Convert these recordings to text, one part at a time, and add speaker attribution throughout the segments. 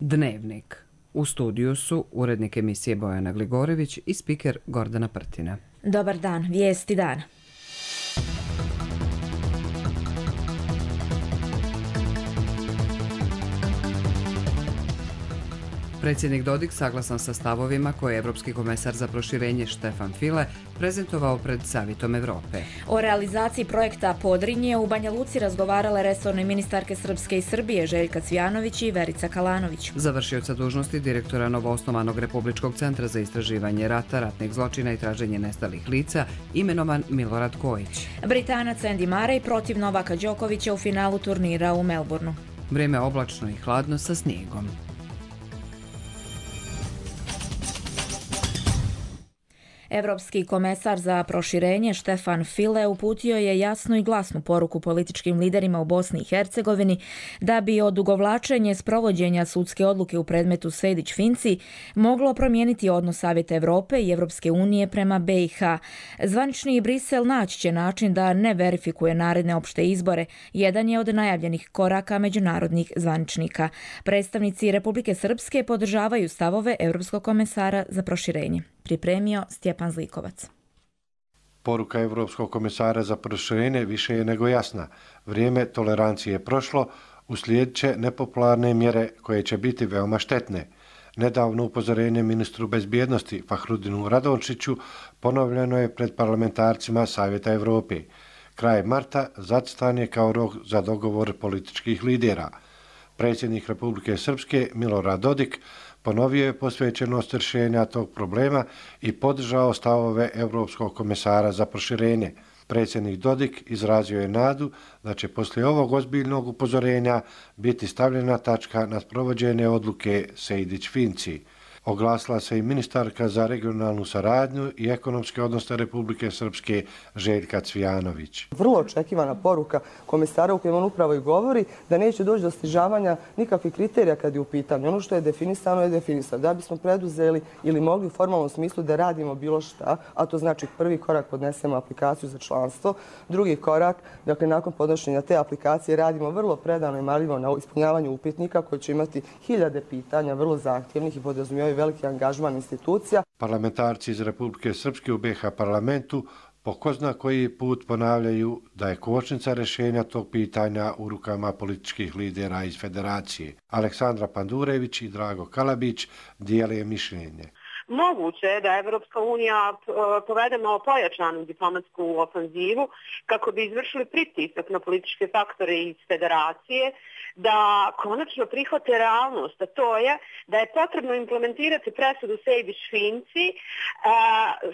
Speaker 1: Dnevnik. U studiju su urednik emisije Bojana Gligorević i spiker Gordana Prtina.
Speaker 2: Dobar dan, vijesti dana.
Speaker 1: Predsjednik Dodik saglasan sa stavovima koje je Evropski komesar za proširenje Štefan File prezentovao pred Savitom Evrope.
Speaker 2: O realizaciji projekta Podrinje u Banja Luci razgovarale resorne ministarke Srpske i Srbije Željka Cvjanović i Verica Kalanović.
Speaker 1: Završioca dužnosti direktora novoosnovanog Republičkog centra za istraživanje rata, ratnih zločina i traženje nestalih lica imenovan Milorad Kojić.
Speaker 2: Britanac Andy Murray protiv Novaka Đokovića u finalu turnira u Melbourneu.
Speaker 1: Vrijeme oblačno i hladno sa snijegom.
Speaker 2: Evropski komesar za proširenje Štefan File uputio je jasnu i glasnu poruku političkim liderima u Bosni i Hercegovini da bi odugovlačenje sprovođenja sudske odluke u predmetu Sejdić-Finci moglo promijeniti odnos Savjeta Evrope i Evropske unije prema BiH. Zvanični Brisel naći će način da ne verifikuje naredne opšte izbore. Jedan je od najavljenih koraka međunarodnih zvaničnika. Predstavnici Republike Srpske podržavaju stavove Evropskog komesara za proširenje. Pripremio Stjepan Zlikovac.
Speaker 3: Poruka Evropskog komesara za proširenje više je nego jasna. Vrijeme tolerancije je prošlo, uslijedit će nepopularne mjere koje će biti veoma štetne. Nedavno upozorenje ministru bezbjednosti Fahrudinu Radončiću ponovljeno je pred parlamentarcima Savjeta Evrope. Kraj marta zacrtan je kao rok za dogovor političkih lidera. Predsjednik Republike Srpske Milorad Dodik ponovio je posvećenost rješenja tog problema i podržao stavove Evropskog komesara za proširenje. Predsjednik Dodik izrazio je nadu da će poslije ovog ozbiljnog upozorenja biti stavljena tačka na sprovođenje odluke Sejdić-Finci. Oglasila se i ministarka za regionalnu saradnju i ekonomske odnose Republike Srpske Željka Cvjanović.
Speaker 4: Vrlo očekivana poruka komesara u kojem on upravo i govori da neće doći do snižavanja nikakvih kriterija kad je u pitanju. Ono što je definisano je definisano. Da bismo preduzeli ili mogli u formalnom smislu da radimo bilo šta, a to znači prvi korak podnesemo aplikaciju za članstvo, drugi korak, dakle nakon podnošenja te aplikacije radimo vrlo predano i marljivo na ispunjavanju upitnika koji će imati hiljade pitanja, vrlo zahtjevnih i podrazumijevaju veliki angažman institucija.
Speaker 3: Parlamentarci iz Republike Srpske u BiH parlamentu po ko zna koji put ponavljaju da je kočnica rješenja tog pitanja u rukama političkih lidera iz federacije. Aleksandra Pandurević i Drago Kalabić dijele mišljenje.
Speaker 5: Moguće je da Evropska unija povede malo pojačanu diplomatsku ofanzivu kako bi izvršili pritisak na političke faktore iz federacije da konačno prihvate realnost, a to je da je potrebno implementirati presudu Sejdić-Finci,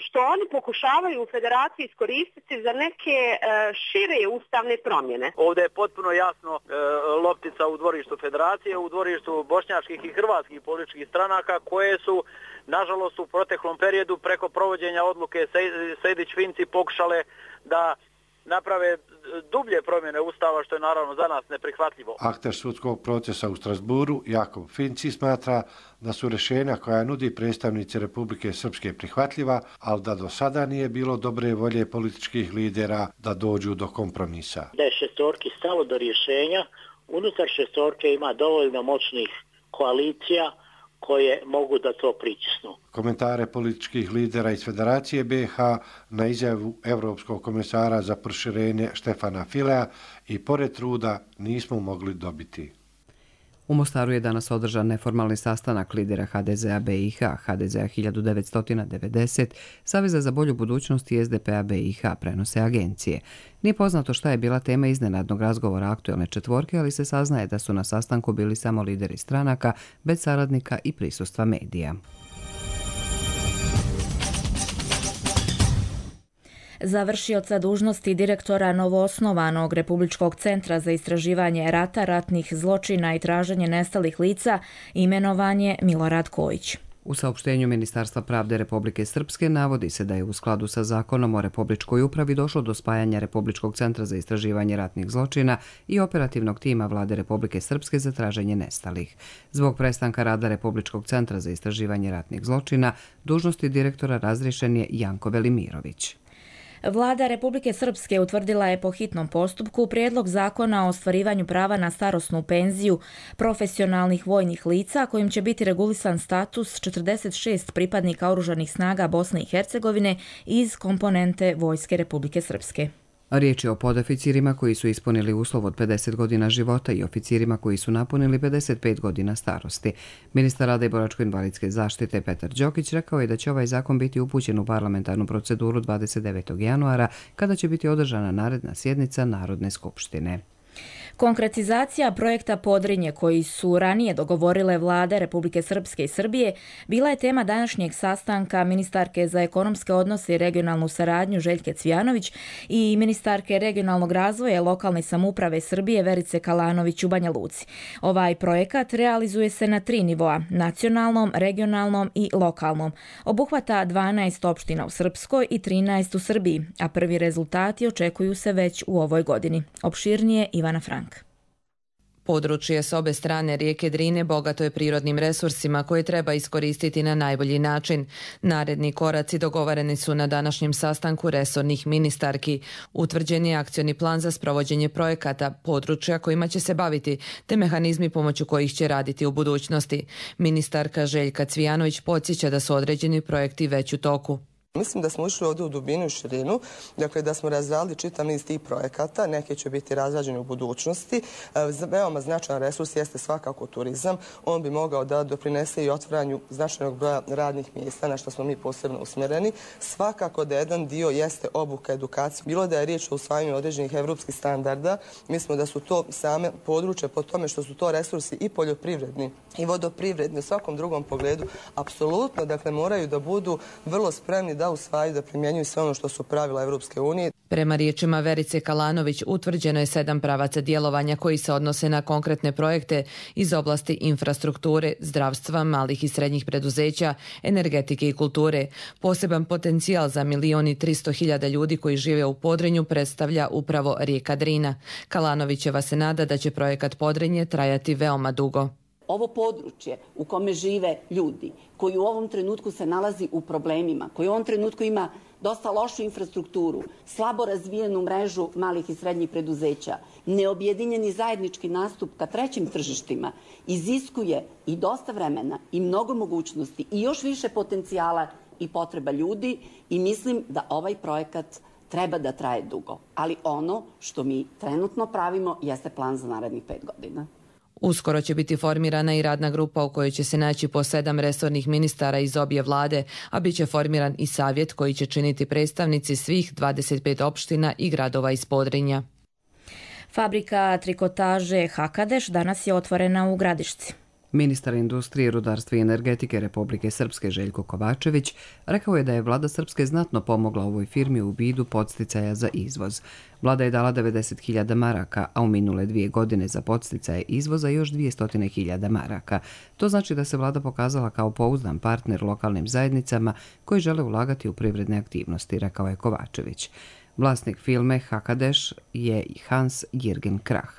Speaker 5: što oni pokušavaju u federaciji iskoristiti za neke šire ustavne promjene.
Speaker 6: Ovdje je potpuno jasno loptica u dvorištu federacije, u dvorištu bošnjačkih i hrvatskih političkih stranaka koje su nažalost u proteklom periodu preko provođenja odluke Sejdić-Finci pokušale da naprave dublje promjene Ustava, što je naravno za nas neprihvatljivo.
Speaker 3: Akter sudskog procesa u Strasburu, Jakov Finci, smatra da su rješenja koja nudi predstavnici Republike Srpske prihvatljiva, ali da do sada nije bilo dobre volje političkih lidera da dođu do kompromisa.
Speaker 7: Da je šestorki stalo do rješenja, unutar šestorke ima dovoljno moćnih koalicija koje mogu da to pritisnu.
Speaker 3: Komentare političkih lidera iz Federacije BiH na izjavu Evropskog komesara za proširenje Štefana Filea i pored truda nismo mogli dobiti.
Speaker 1: U Mostaru je danas održan neformalni sastanak lidera HDZ-a BiH, HDZ-a 1990, Saveza za bolju budućnost i SDP-a BiH, prenose agencije. Nije poznato šta je bila tema iznenadnog razgovora aktuelne četvorke, ali se saznaje da su na sastanku bili samo lideri stranaka, bez saradnika i prisustva medija.
Speaker 2: Završioca dužnosti direktora novoosnovanog Republičkog centra za istraživanje rata, ratnih zločina i traženje nestalih lica imenovan je Milorad Kojić.
Speaker 1: U saopštenju Ministarstva pravde Republike Srpske navodi se da je u skladu sa zakonom o Republičkoj upravi došlo do spajanja Republičkog centra za istraživanje ratnih zločina i operativnog tima Vlade Republike Srpske za traženje nestalih. Zbog prestanka rada Republičkog centra za istraživanje ratnih zločina, dužnosti direktora razriješen je Janko Velimirović.
Speaker 2: Vlada Republike Srpske utvrdila je po hitnom postupku prijedlog zakona o ostvarivanju prava na starosnu penziju profesionalnih vojnih lica kojim će biti regulisan status 46 pripadnika oružanih snaga Bosne i Hercegovine iz komponente Vojske Republike Srpske.
Speaker 1: Riječ je o podoficirima koji su ispunili uslov od 50 godina života i oficirima koji su napunili 55 godina starosti. Ministar rada i boračko-invalidske zaštite Petar Đokić rekao je da će ovaj zakon biti upućen u parlamentarnu proceduru 29. januara, kada će biti održana naredna sjednica Narodne skupštine.
Speaker 2: Konkretizacija projekta Podrinje, koji su ranije dogovorile vlade Republike Srpske i Srbije, bila je tema današnjeg sastanka ministarke za ekonomske odnose i regionalnu saradnju Željke Cvijanović i ministarke regionalnog razvoja i lokalne samouprave Srbije Verice Kalanović u Banja Luci. Ovaj projekat realizuje se na 3 nivoa, nacionalnom, regionalnom i lokalnom. Obuhvata 12 opština u Srpskoj i 13 u Srbiji, a prvi rezultati očekuju se već u ovoj godini. Opširnije Ivana Frank.
Speaker 8: Područje s obe strane rijeke Drine bogato je prirodnim resursima koje treba iskoristiti na najbolji način. Naredni koraci dogovoreni su na današnjem sastanku resornih ministarki. Utvrđen je akcioni plan za sprovođenje projekata, područja kojima će se baviti, te mehanizmi pomoću kojih će raditi u budućnosti. Ministarka Željka Cvijanović podsjeća da su određeni projekti već u toku.
Speaker 4: Mislim da smo išli ovdje u dubinu i širinu, dakle da smo razradili čitav niz tih projekata, neke će biti razrađeni u budućnosti. Veoma značajan resurs jeste svakako turizam. On bi mogao da doprinese i otvaranju značajnog broja radnih mjesta, na što smo mi posebno usmjereni. Svakako da jedan dio jeste obuka, edukacija. Bilo da je riječ o usvajanju određenih evropskih standarda, mislimo da su to same područje po tome što su to resursi i poljoprivredni i vodoprivredni u svakom drugom pogledu. Apsolutno, dakle, moraju da budu vrlo spremni da usvajaju, da primjenjuju sve ono što su pravila Evropske unije.
Speaker 8: Prema riječima Verice Kalanović, utvrđeno je 7 pravaca djelovanja koji se odnose na konkretne projekte iz oblasti infrastrukture, zdravstva, malih i srednjih preduzeća, energetike i kulture. Poseban potencijal za 1.300.000 ljudi koji žive u Podrinju predstavlja upravo rijeka Drina. Kalanovićeva se nada da će projekat Podrinje trajati veoma dugo.
Speaker 9: Ovo područje u kome žive ljudi, koji u ovom trenutku se nalazi u problemima, koji u ovom trenutku ima dosta lošu infrastrukturu, slabo razvijenu mrežu malih i srednjih preduzeća, neobjedinjeni zajednički nastup ka trećim tržištima, iziskuje i dosta vremena i mnogo mogućnosti i još više potencijala i potreba ljudi i mislim da ovaj projekat treba da traje dugo. Ali ono što mi trenutno pravimo jeste plan za narednih 5 godina.
Speaker 8: Uskoro će biti formirana i radna grupa u kojoj će se naći po 7 resornih ministara iz obje vlade, a bit će formiran i savjet koji će činiti predstavnici svih 25 opština i gradova iz Podrinja.
Speaker 2: Fabrika trikotaže Hakadeš danas je otvorena u Gradišci.
Speaker 1: Ministar industrije, rudarstva i energetike Republike Srpske Željko Kovačević rekao je da je vlada Srpske znatno pomogla ovoj firmi u vidu podsticaja za izvoz. Vlada je dala 90.000 maraka, a u minule 2 godine za podsticaje izvoza još 200.000 maraka. To znači da se vlada pokazala kao pouzdan partner lokalnim zajednicama koji žele ulagati u privredne aktivnosti, rekao je Kovačević. Vlasnik firme Hakadeš je Hans Jürgen Krah.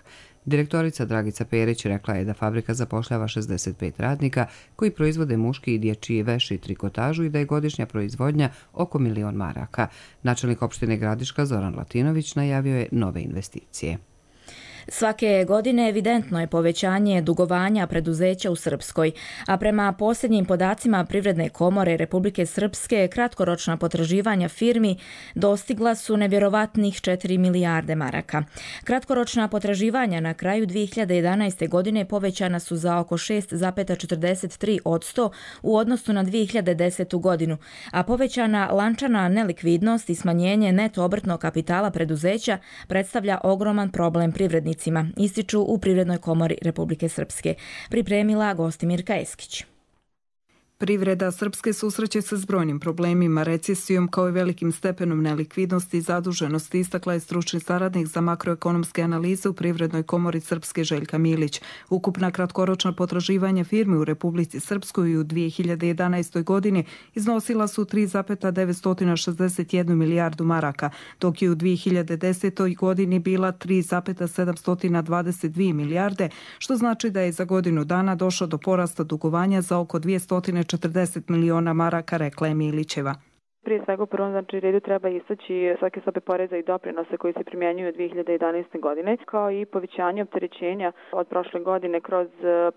Speaker 1: Direktorica Dragica Perić rekla je da fabrika zapošljava 65 radnika koji proizvode muški i dječji veš i trikotažu i da je godišnja proizvodnja oko 1.000.000 maraka. Načelnik opštine Gradiška Zoran Latinović najavio je nove investicije.
Speaker 2: Svake godine evidentno je povećanje dugovanja preduzeća u Srpskoj, a prema posljednjim podacima Privredne komore Republike Srpske kratkoročna potraživanja firmi dostigla su nevjerovatnih 4 milijarde maraka. Kratkoročna potraživanja na kraju 2011. godine povećana su za oko 6,43% u odnosu na 2010. godinu, a povećana lančana nelikvidnost i smanjenje neto obrtnog kapitala preduzeća predstavlja ogroman problem privrednika, ističu u Privrednoj komori Republike Srpske. Pripremila Gostimirka Eskić.
Speaker 10: Privreda Srpske susreće se s brojnim problemima, recesijom kao i velikim stepenom nelikvidnosti i zaduženosti, istakla je stručni saradnik za makroekonomske analize u Privrednoj komori Srpske Željka Milić. Ukupna kratkoročna potraživanja firmi u Republici Srpskoj u 2011. godini iznosila su 3,961 milijardu maraka, dok je u 2010. godini bila 3,722 milijarde, što znači da je za godinu dana došlo do porasta dugovanja za oko 240 miliona maraka, rekla je Milićeva.
Speaker 11: Prije svega u prvom redu treba istaći svake stope poreza i doprinose koji se primjenjuju od 2011. godine, kao i povećanje opterećenja od prošle godine kroz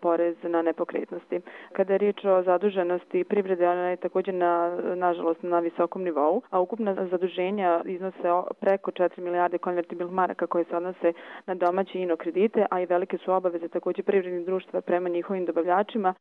Speaker 11: porez na nepokretnosti. Kada je riječ o zaduženosti privrede, ona je također nažalost na visokom nivou, a ukupna zaduženja iznose preko 4 milijarde konvertibilnih maraka koje se odnose na domaće ino kredite, a i velike su obaveze također privrednih društva prema njihovim dobavljačima.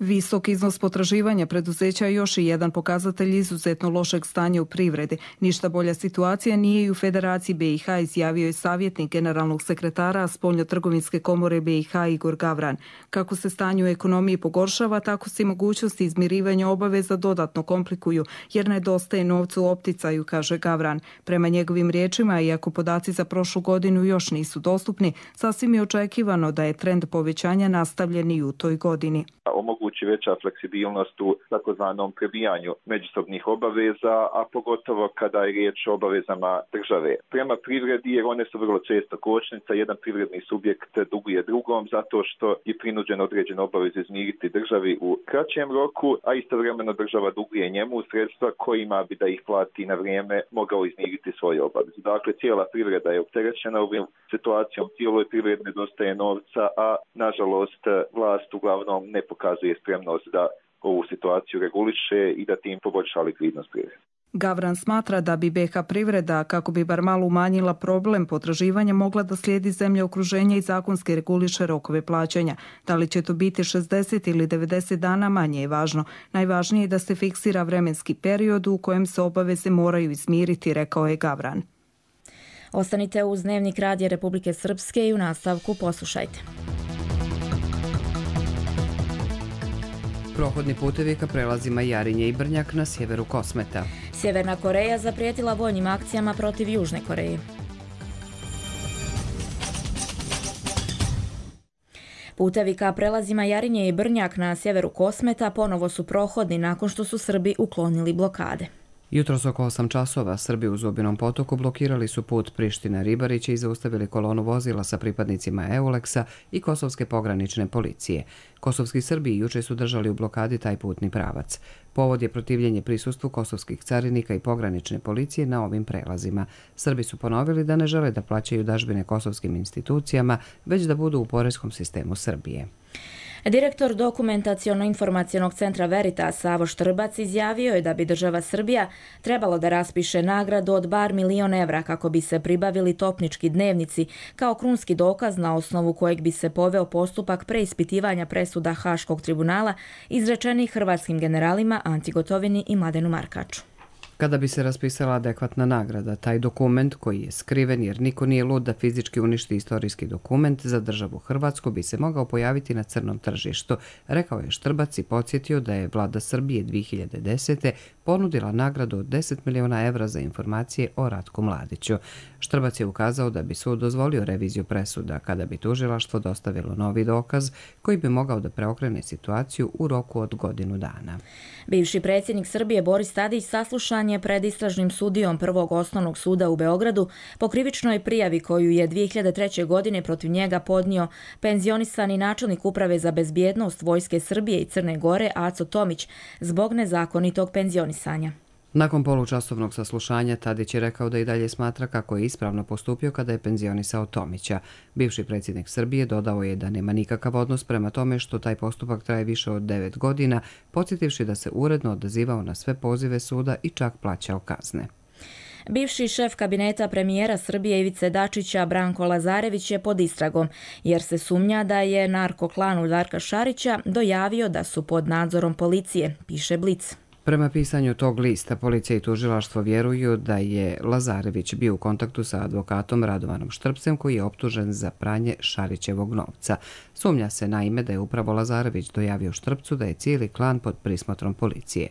Speaker 10: Visok iznos potraživanja preduzeća je još i jedan pokazatelj izuzetno lošeg stanja u privredi. Ništa bolja situacija nije i u Federaciji BiH, izjavio je savjetnik generalnog sekretara Spoljnotrgovinske komore BiH Igor Gavran. Kako se stanje u ekonomiji pogoršava, tako se i mogućnosti izmirivanja obaveza dodatno komplikuju, jer nedostaje novca u opticaju, kaže Gavran. Prema njegovim riječima, iako podaci za prošlu godinu još nisu dostupni, sasvim je očekivano da je trend povećanja nastavljen i u toj godini.
Speaker 12: Omogući veća fleksibilnost u takozvanom prebijanju međusobnih obaveza, a pogotovo kada je riječ o obavezama države. Prema privredi, jer one su vrlo često kočnica, jedan privredni subjekt duguje drugom zato što je prinuđen određene obaveze izmiriti državi u kraćem roku, a istovremeno država duguje njemu sredstva kojima bi da ih plati na vrijeme mogao izmiriti svoje obaveze. Dakle, cijela privreda je opterećena ovim situacijom, cijeloj privredi nedostaje novca, a nažalost vlast uglavnom ne pokazuje spremnost da ovu situaciju reguliše i da tim poboljša likvidnost privrede.
Speaker 10: Gavran smatra da bi BiH privreda, kako bi bar malo umanjila problem potraživanja, mogla da slijedi zemlje okruženja i zakonski reguliše rokove plaćanja. Da li će to biti 60 ili 90 dana, manje je važno. Najvažnije je da se fiksira vremenski period u kojem se obaveze moraju izmiriti, rekao je Gavran.
Speaker 2: Ostanite uz Dnevnik Radija Republike Srpske i u nastavku poslušajte.
Speaker 1: Prohodni putevi ka prelazima Jarinje i Brnjak na sjeveru Kosmeta.
Speaker 2: Sjeverna Koreja zaprijetila vojnim akcijama protiv Južne Koreje. Putevi ka prelazima Jarinje i Brnjak na sjeveru Kosmeta ponovo su prohodni nakon što su Srbi uklonili blokade.
Speaker 1: Jutros oko 8 časova Srbi u Zubinom potoku blokirali su put Priština-Ribarić i zaustavili kolonu vozila sa pripadnicima EULEX-a i Kosovske pogranične policije. Kosovski Srbi juče su držali u blokadi taj putni pravac. Povod je protivljenje prisustvu kosovskih carinika i pogranične policije na ovim prelazima. Srbi su ponovili da ne žele da plaćaju dažbine kosovskim institucijama, već da budu u poreskom sistemu Srbije.
Speaker 2: Direktor Dokumentaciono-informacionog centra Veritas Savo Štrbac izjavio je da bi država Srbija trebalo da raspiše nagradu od bar 1 milion evra kako bi se pribavili topnički dnevnici kao krunski dokaz na osnovu kojeg bi se poveo postupak preispitivanja presuda Haškog tribunala izrečenih hrvatskim generalima Anti Gotovini i Mladenu Markaču.
Speaker 1: Kada bi se raspisala adekvatna nagrada, taj dokument koji je skriven jer niko nije lud da fizički uništi istorijski dokument za državu Hrvatsku bi se mogao pojaviti na crnom tržištu, rekao je Štrbac i podsjetio da je vlada Srbije 2010. ponudila nagradu od 10 miliona evra za informacije o Ratku Mladiću. Štrbac je ukazao da bi sud dozvolio reviziju presuda kada bi tužilaštvo dostavilo novi dokaz koji bi mogao da preokrene situaciju u roku od godinu dana.
Speaker 2: Bivši predsjednik Srbije Boris Tadić saslušan je pred istražnim sudijom Prvog osnovnog suda u Beogradu po krivičnoj prijavi koju je 2003. godine protiv njega podnio penzionisani načelnik Uprave za bezbjednost Vojske Srbije i Crne Gore Aco Tomić zbog nezakonitog penzionisanja.
Speaker 1: Nakon polučasovnog saslušanja Tadić je rekao da i dalje smatra kako je ispravno postupio kada je penzionisao Tomića. Bivši predsjednik Srbije dodao je da nema nikakav odnos prema tome što taj postupak traje više od 9 godina, podsjetivši da se uredno odazivao na sve pozive suda i čak plaćao kazne.
Speaker 2: Bivši šef kabineta premijera Srbije Ivice Dačića Branko Lazarević je pod istragom, jer se sumnja da je narkoklanu Darka Šarića dojavio da su pod nadzorom policije, piše Blic.
Speaker 1: Prema pisanju tog lista, policija i tužilaštvo vjeruju da je Lazarević bio u kontaktu sa advokatom Radovanom Štrpcem koji je optužen za pranje Šarićevog novca. Sumnja se naime da je upravo Lazarević dojavio Štrpcu da je cijeli klan pod prismotrom policije.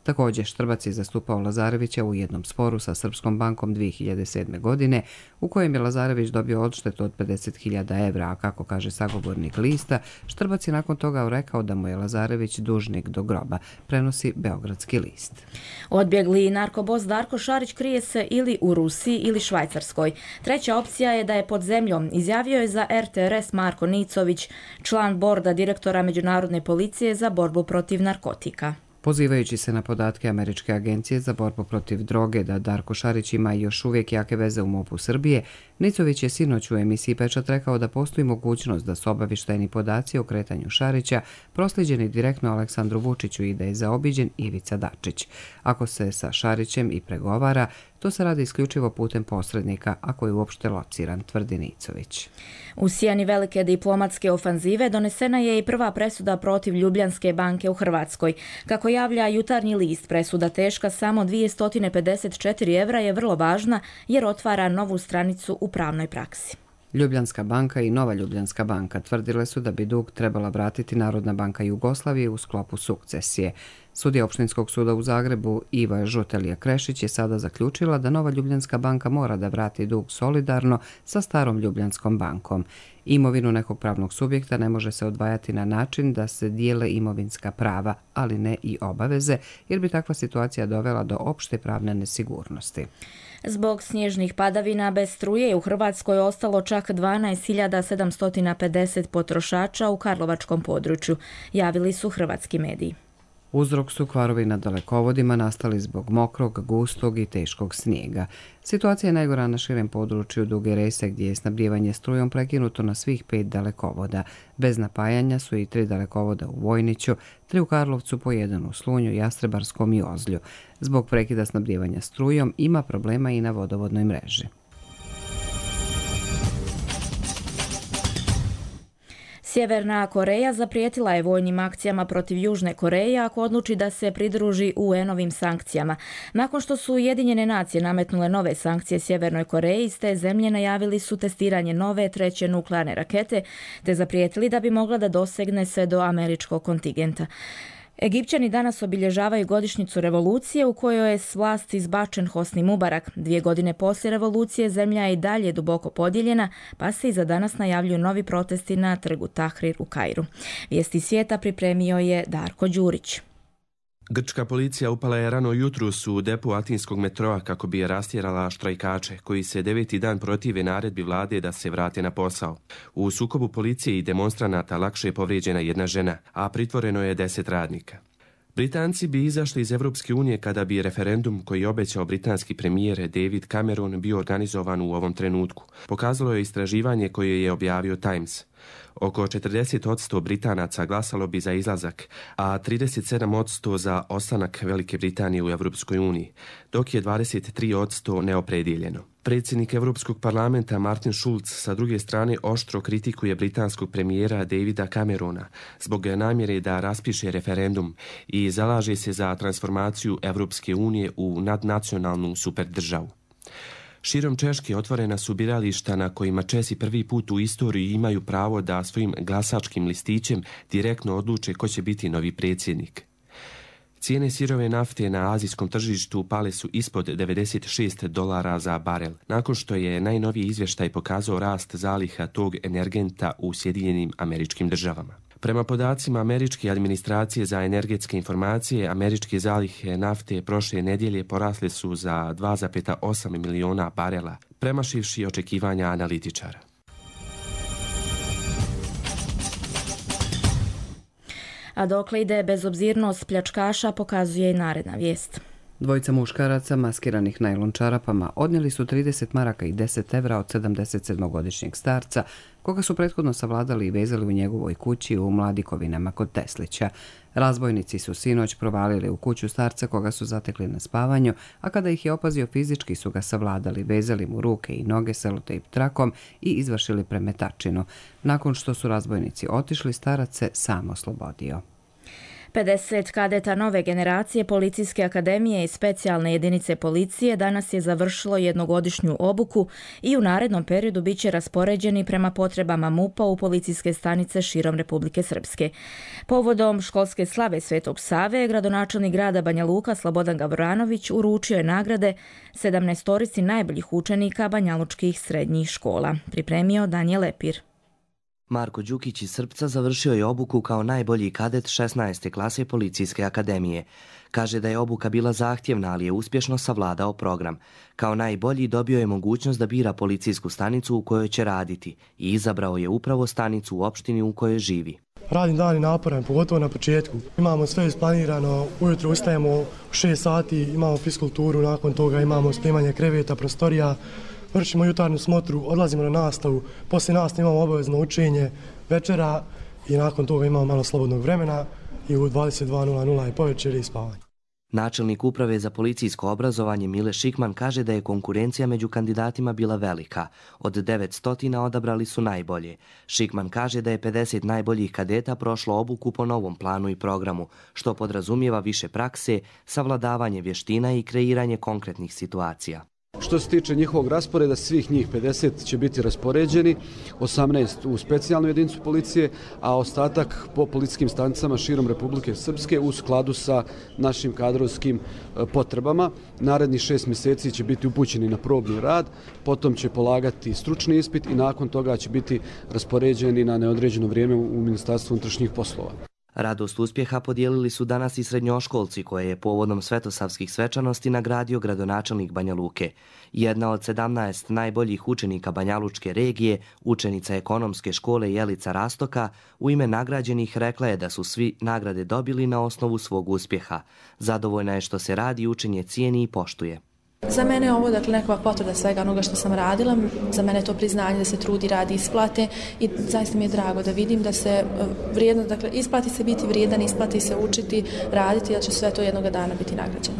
Speaker 1: Također, Štrbac je zastupao Lazarevića u jednom sporu sa Srpskom bankom 2007. godine, u kojem je Lazarević dobio odštetu od 50.000 evra, a kako kaže sagovornik lista, Štrbac je nakon toga rekao da mu je Lazarević dužnik do groba, prenosi Beogradski list.
Speaker 2: Odbjegli narkobos Darko Šarić krije se ili u Rusiji ili Švajcarskoj. Treća opcija je da je pod zemljom, izjavio je za RTRS Marko Nicović, član borda direktora Međunarodne policije za borbu protiv narkotika.
Speaker 1: Pozivajući se na podatke Američke agencije za borbu protiv droge da Darko Šarić ima još uvijek jake veze u MUP-u Srbije, Nicović je sinoć u emisiji Pečat rekao da postoji mogućnost da su obavještajni podaci o kretanju Šarića proslijeđeni direktno Aleksandru Vučiću i da je zaobiđen Ivica Dačić. Ako se sa Šarićem i pregovara, to se radi isključivo putem posrednika, ako je uopšte lociran, tvrdi Nicović.
Speaker 2: U sjeni velike diplomatske ofanzive donesena je i prva presuda protiv Ljubljanske banke u Hrvatskoj. Kako javlja Jutarnji list, presuda teška samo 254 evra je vrlo važna jer otvara novu stranicu u pravnoj praksi.
Speaker 1: Ljubljanska banka i Nova Ljubljanska banka tvrdile su da bi dug trebala vratiti Narodna banka Jugoslavije u sklopu sukcesije. Sudija Opštinskog suda u Zagrebu Iva Žutelija Krešić je sada zaključila da Nova Ljubljanska banka mora da vrati dug solidarno sa starom Ljubljanskom bankom. Imovinu nekog pravnog subjekta ne može se odvajati na način da se dijele imovinska prava, ali ne i obaveze, jer bi takva situacija dovela do opšte pravne nesigurnosti.
Speaker 2: Zbog snježnih padavina bez struje je u Hrvatskoj ostalo čak 12.750 potrošača u karlovačkom području, javili su hrvatski mediji.
Speaker 1: Uzrok su kvarovi na dalekovodima nastali zbog mokrog, gustog i teškog snijega. Situacija je najgora na širem području Duge Rese gdje je snabdijevanje strujom prekinuto na svih 5 dalekovoda. Bez napajanja su i 3 dalekovoda u Vojniću, 3 u Karlovcu, po 1 u Slunju, Jastrebarskom i Ozlju. Zbog prekida snabdijevanja strujom ima problema i na vodovodnoj mreži.
Speaker 2: Sjeverna Koreja zaprijetila je vojnim akcijama protiv Južne Koreje ako odluči da se pridruži UN-ovim sankcijama. Nakon što su Ujedinjene nacije nametnule nove sankcije Sjevernoj Koreji, iz te zemlje najavili su testiranje nove 3. nuklearne rakete, te zaprijetili da bi mogla da dosegne sve do američkog kontingenta. Egipćani danas obilježavaju godišnjicu revolucije u kojoj je s vlasti izbačen Hosni Mubarak. 2 godine poslije revolucije zemlja je i dalje duboko podijeljena, pa se i za danas najavljuju novi protesti na trgu Tahrir u Kairu. Vijesti svijeta pripremio je Darko Đurić.
Speaker 13: Grčka policija upala je rano jutros u depo atinskog metroa kako bi je rastjerala štrajkače, koji se 9. dan protive naredbi vlade da se vrate na posao. U sukobu policije i demonstranata lakše je povrijeđena jedna žena, a pritvoreno je 10 radnika. Britanci bi izašli iz Evropske unije kada bi referendum koji je obećao britanski premijer David Cameron bio organizovan u ovom trenutku. Pokazalo je istraživanje koje je objavio Times. Oko 40% Britanaca glasalo bi za izlazak, a 37% za ostanak Velike Britanije u Evropskoj uniji, dok je 23% neopredijeljeno. Predsjednik Europskog parlamenta Martin Schulz sa druge strane oštro kritikuje britanskog premijera Davida Camerona zbog namjere da raspiše referendum i zalaže se za transformaciju Evropske unije u nadnacionalnu superdržavu. Širom Češke otvorena su birališta na kojima Česi prvi put u istoriji imaju pravo da svojim glasačkim listićem direktno odluče ko će biti novi predsjednik. Cijene sirove nafte na azijskom tržištu pale su ispod $96 za barel, nakon što je najnoviji izvještaj pokazao rast zaliha tog energenta u Sjedinjenim Američkim Državama. Prema podacima Američke administracije za energetske informacije, američke zalihe nafte prošle nedjelje porasle su za 2,8 miliona barela, premašivši očekivanja analitičara.
Speaker 2: A dokle ide bezobzirnost pljačkaša, pokazuje i naredna vijest.
Speaker 1: Dvojica muškaraca maskiranih najlon čarapama odnijeli su 30 maraka i 10 evra od 77-godišnjeg starca, koga su prethodno savladali i vezali u njegovoj kući u Mladikovinama kod Teslića. Razbojnici su sinoć provalili u kuću starca koga su zatekli na spavanju, a kada ih je opazio fizički su ga savladali, vezali mu ruke i noge selotejp trakom i izvršili premetačinu. Nakon što su razbojnici otišli, starac se sam oslobodio.
Speaker 2: 50 kadeta nove generacije Policijske akademije i specijalne jedinice policije danas je završilo jednogodišnju obuku i u narednom periodu bit će raspoređeni prema potrebama MUP-a u policijske stanice širom Republike Srpske. Povodom školske slave Svetog Save, gradonačelnik grada Banja Luka Slobodan Gavranović uručio je nagrade 17 najboljih učenika banjalučkih srednjih škola. Pripremio Danijel Lepir.
Speaker 14: Marko Đukić iz Srpca završio je obuku kao najbolji kadet 16. klase Policijske akademije. Kaže da je obuka bila zahtjevna, ali je uspješno savladao program. Kao najbolji dobio je mogućnost da bira policijsku stanicu u kojoj će raditi i izabrao je upravo stanicu u opštini u kojoj živi.
Speaker 15: Radni dan je naporan, pogotovo na početku. Imamo sve isplanirano, ujutro ustajemo u 6 sati, imamo fiskulturu, nakon toga imamo spremanje kreveta, prostorija, vršimo jutarnju smotru, odlazimo na nastavu, poslije nastave imamo obavezno učenje večera i nakon toga imamo malo slobodnog vremena i u 22:00 je povečer i spavanje.
Speaker 14: Načelnik uprave za policijsko obrazovanje Mile Šikman kaže da je konkurencija među kandidatima bila velika. Od 900 odabrali su najbolje. Šikman kaže da je 50 najboljih kadeta prošlo obuku po novom planu i programu, što podrazumijeva više prakse, savladavanje vještina i kreiranje konkretnih situacija.
Speaker 16: Što se tiče njihovog rasporeda, svih njih 50 će biti raspoređeni, 18 u specijalnu jedinicu policije, a ostatak po policijskim stanicama širom Republike Srpske u skladu sa našim kadrovskim potrebama. Narednih 6 mjeseci će biti upućeni na probni rad, potom će polagati stručni ispit i nakon toga će biti raspoređeni na neodređeno vrijeme u Ministarstvu unutrašnjih poslova.
Speaker 14: Radost uspjeha podijelili su danas i srednjoškolci koje je povodom svetosavskih svečanosti nagradio gradonačelnik Banja Luke. Jedna od 17 najboljih učenika Banjalučke regije, učenica ekonomske škole Jelica Rastoka, u ime nagrađenih rekla je da su svi nagrade dobili na osnovu svog uspjeha. Zadovoljna je što se radi, učenje cijeni i poštuje.
Speaker 17: Za mene je ovo nekakva potvrda svega onoga što sam radila. Za mene je to priznanje da se trudi, radi, isplate i zaista mi je drago da vidim da se vrijedno, isplati se biti vrijedan, isplati se učiti, raditi, jer će sve to jednoga dana biti nagrađeno.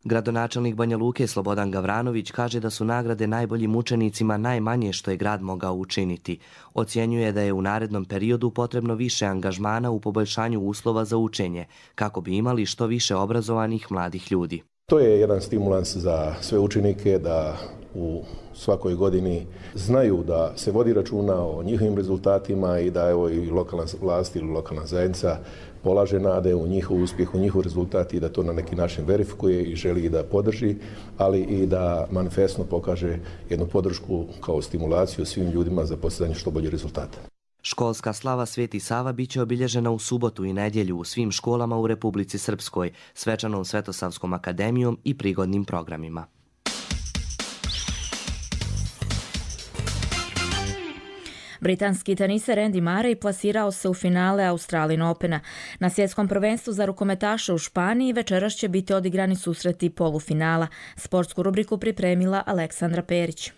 Speaker 14: Gradonačelnik Banja Luke Slobodan Gavranović kaže da su nagrade najboljim učenicima najmanje što je grad mogao učiniti. Ocjenjuje da je u narednom periodu potrebno više angažmana u poboljšanju uslova za učenje, kako bi imali što više obrazovanih mladih ljudi.
Speaker 18: To je jedan stimulans za sve učenike da u svakoj godini znaju da se vodi računa o njihovim rezultatima i da evo i lokalna vlast ili lokalna zajednica polaže nade u njihov uspjeh, u njihov rezultat i da to na neki način verifikuje i želi da podrži, ali i da manifestno pokaže jednu podršku kao stimulaciju svim ljudima za postizanje što bolje rezultata.
Speaker 14: Školska slava Sveti Sava biće obilježena u subotu i nedjelju u svim školama u Republici Srpskoj, svečanom Svetosavskom akademijom i prigodnim programima.
Speaker 2: Britanski teniser Andy Murray plasirao se u finale Australian Opena. Na svjetskom prvenstvu za rukometaše u Španiji večeras će biti odigrani susreti polufinala. Sportsku rubriku pripremila Aleksandra Perić.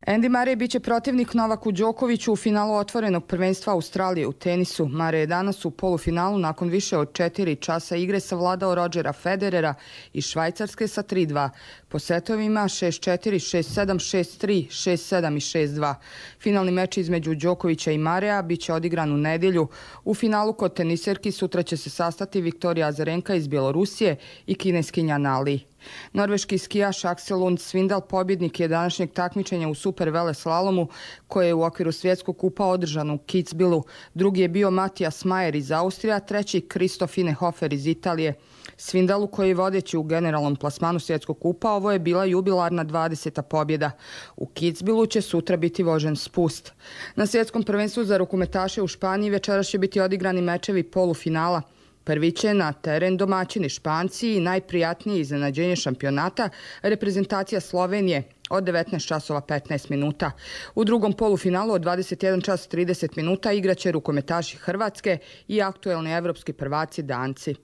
Speaker 19: Andy Murray biće protivnik Novaku Đokoviću u finalu otvorenog prvenstva Australije u tenisu. Murray je danas u polufinalu nakon više od 4 časa igre savladao Rodgera Federera iz Švajcarske sa 3-2. Po setovima 6-4, 6-7, 6-3, 6-7 i 6-2. Finalni meč između Đokovića i Murraya biće odigran u nedjelju. U finalu kod teniserki sutra će se sastati Viktorija Azarenka iz Bjelorusije i kineskinja Nali. Norveški skijaš Aksel Lund Svindal pobjednik je današnjeg takmičenja u super veleslalomu koje je u okviru svjetskog kupa održano u Kitzbühelu. Drugi je bio Matijas Majer iz Austrija, treći Kristof Inehofer iz Italije. Svindalu koji je vodeći u generalnom plasmanu svjetskog kupa, ovo je bila jubilarna 20. pobjeda. U Kitzbühelu će sutra biti vožen spust. Na svjetskom prvenstvu za rukometaše u Španiji večeras će biti odigrani mečevi polufinala. Prvi će na teren domaćini Španci i najprijatnije iznenađenje šampionata reprezentacija Slovenije od 19:15. U drugom polufinalu od 21:30 igraće rukometaši Hrvatske i aktuelni evropski prvaci Danci.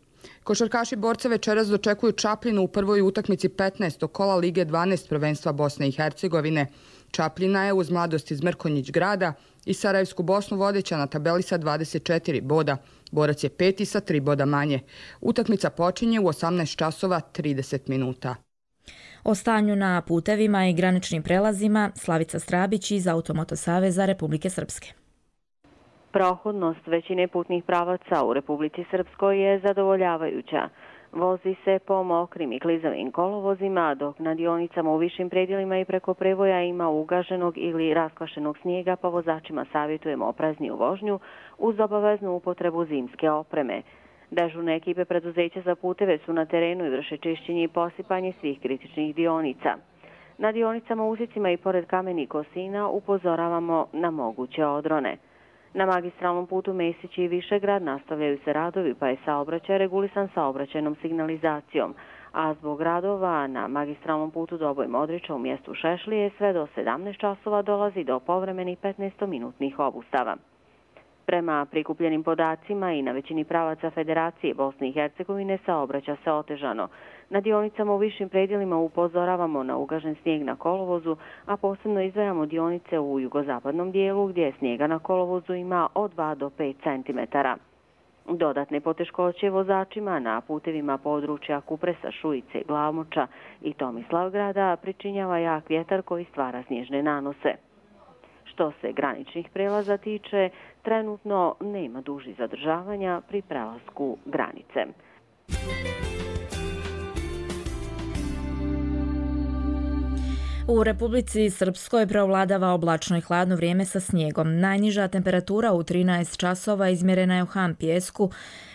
Speaker 19: Košarkaši borca večeras dočekuju Čapljinu u prvoj utakmici 15. kola Lige 12 prvenstva Bosne i Hercegovine. Čapljina je uz Mladost iz Mrkonjić grada i Sarajevsku Bosnu vodeća na tabeli sa 24 boda. Borac je 5. sa 3 boda manje. Utakmica počinje u 18:30.
Speaker 2: O stanju na putevima i graničnim prelazima Slavica Strabić iz Automoto Saveza Republike Srpske.
Speaker 20: Prohodnost većine putnih pravaca u Republici Srpskoj je zadovoljavajuća. Vozi se po mokrim i klizavim kolovozima, dok na dionicama u višim predjelima i preko prevoja ima ugaženog ili raskvašenog snijega, pa vozačima savjetujemo oprezniju vožnju uz obaveznu upotrebu zimske opreme. Dežurne ekipe preduzeća za puteve su na terenu i vrše čišćenje i posipanje svih kritičnih dionica. Na dionicama, uzicima i pored Kamenih Kosina upozoravamo na moguće odrone. Na magistralnom putu Mesić i Višegrad nastavljaju se radovi, pa je saobraćaj regulisan saobraćajnom signalizacijom, a zbog radova na magistralnom putu Doboj Modriča u mjestu Šešlije sve do 17 časova dolazi do povremenih 15-minutnih obustava. Prema prikupljenim podacima i na većini pravaca Federacije Bosne i Hercegovine saobraća se otežano. Na dionicama u višim predjelima upozoravamo na ugažen snijeg na kolovozu, a posebno izdvajamo dionice u jugozapadnom dijelu gdje snijega na kolovozu ima od 2 do 5 cm. Dodatne poteškoće vozačima na putevima područja Kupresa, Šujice, Glavmoča i Tomislavgrada pričinjava jak vjetar koji stvara snježne nanose. Što se graničnih prelaza tiče, trenutno nema dužih zadržavanja pri prelasku granice.
Speaker 2: U Republici Srpskoj preovladava oblačno i hladno vrijeme sa snijegom. Najniža temperatura u 13 časova izmjerena je u Han Pijesku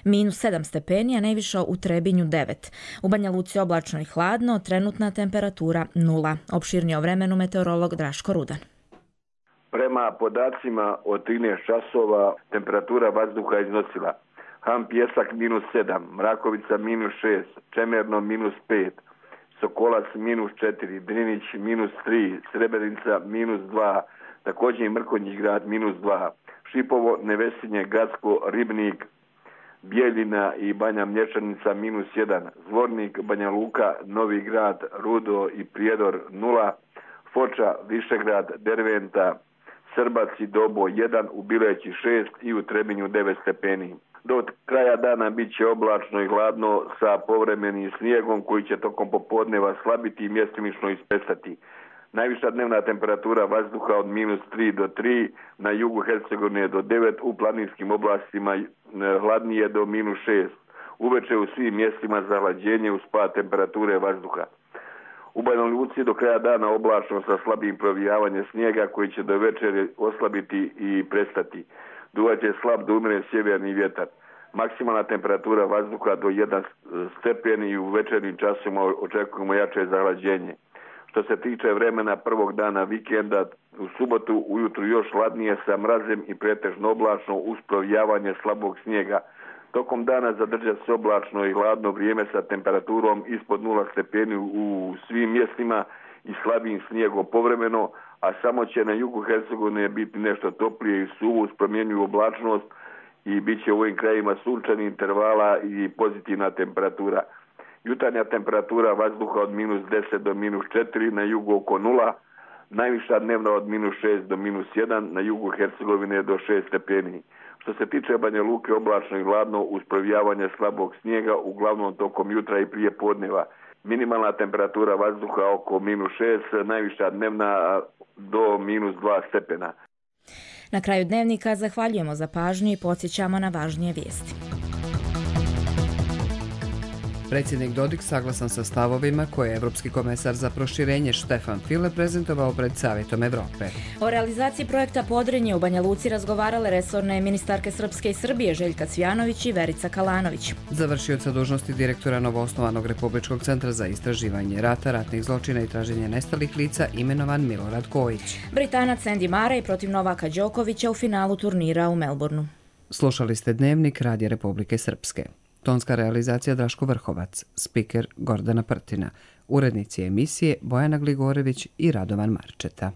Speaker 2: -7 stepeni, a najviša u Trebinju 9. U Banja Luci oblačno i hladno, trenutna temperatura 0. Opširnije o vremenu meteorolog Draško Rudan.
Speaker 21: Prema podacima od 13 časova temperatura vazduha iznosila Han Pijesak -7, Mrakovica -6, Čemerno -5, Sokolac -4, Drinić -3, Srebrenica -2, također i Mrkonjić grad -2, Šipovo, Nevesinje, Gacko, Ribnik, Bijeljina i Banja Mlječanica -1, Zvornik, Banja Luka, Novi grad, Rudo i Prijedor 0, Foča, Višegrad, Derventa, Srbac i Dobo 1, u Bileći 6 i u Trebinju 9 stepeni. Do kraja dana bit će oblačno i hladno sa povremenim snijegom koji će tokom popodneva slabiti i mjestimično ispestati. Najviša dnevna temperatura vazduha od -3 do 3, na jugu Hercegovine do 9, u planinskim oblastima hladnije do -6. Uveče u svim mjestima za hlađenje uz pad temperature vazduha. U Banja Luci do kraja dana oblačno sa slabim provijavanjem snijega koji će do večeri oslabiti i prestati. Duvaće slab do umjeren sjeverni vjetar. Maksimalna temperatura vazduha do 1 stepen i u večernjim časima očekujemo jače zahlađenje. Što se tiče vremena prvog dana vikenda, u subotu ujutru još hladnije sa mrazem i pretežno oblačno uz provijavanje slabog snijega. Tokom dana zadržat se oblačno i hladno vrijeme sa temperaturom ispod 0 stepeni u svim mjestima i slabim snijegom povremeno, a samo će na jugu Hercegovine biti nešto toplije i suvo uz promjenjivu oblačnost i bit će u ovim krajima sunčanih intervala i pozitivna temperatura. Jutarnja temperatura vazduha od -10 do -4, na jugu oko 0, najviša dnevna od -6 do -1, na jugu Hercegovine do 6 stepeni. Što se tiče Banja Luke, oblačno i hladno uz provijavanje slabog snijega, uglavnom tokom jutra i prije podneva. Minimalna temperatura vazduha oko -6, najviša dnevna do -2 stepena.
Speaker 2: Na kraju dnevnika zahvaljujemo za pažnju i podsjećamo na važnije vijesti.
Speaker 1: Predsjednik Dodik saglasan sa stavovima koje je Evropski komesar za proširenje Štefan File prezentovao pred Savjetom Evrope.
Speaker 2: O realizaciji projekta Podrinje u Banja Luci razgovarale resorne ministarke Srpske i Srbije Željka Cvjanović i Verica Kalanović.
Speaker 1: Završioca dužnosti direktora novoosnovanog Republičkog centra za istraživanje rata, ratnih zločina i traženje nestalih lica imenovan Milorad Kojić.
Speaker 2: Britanac Andy Murray protiv Novaka Đokovića u finalu turnira u Melbourneu.
Speaker 1: Slušali ste Dnevnik Radija Republike Srpske. Tonska realizacija Draško Vrhovac, spiker Gordana Prtina, urednici emisije Bojana Gligorević i Radovan Marčeta.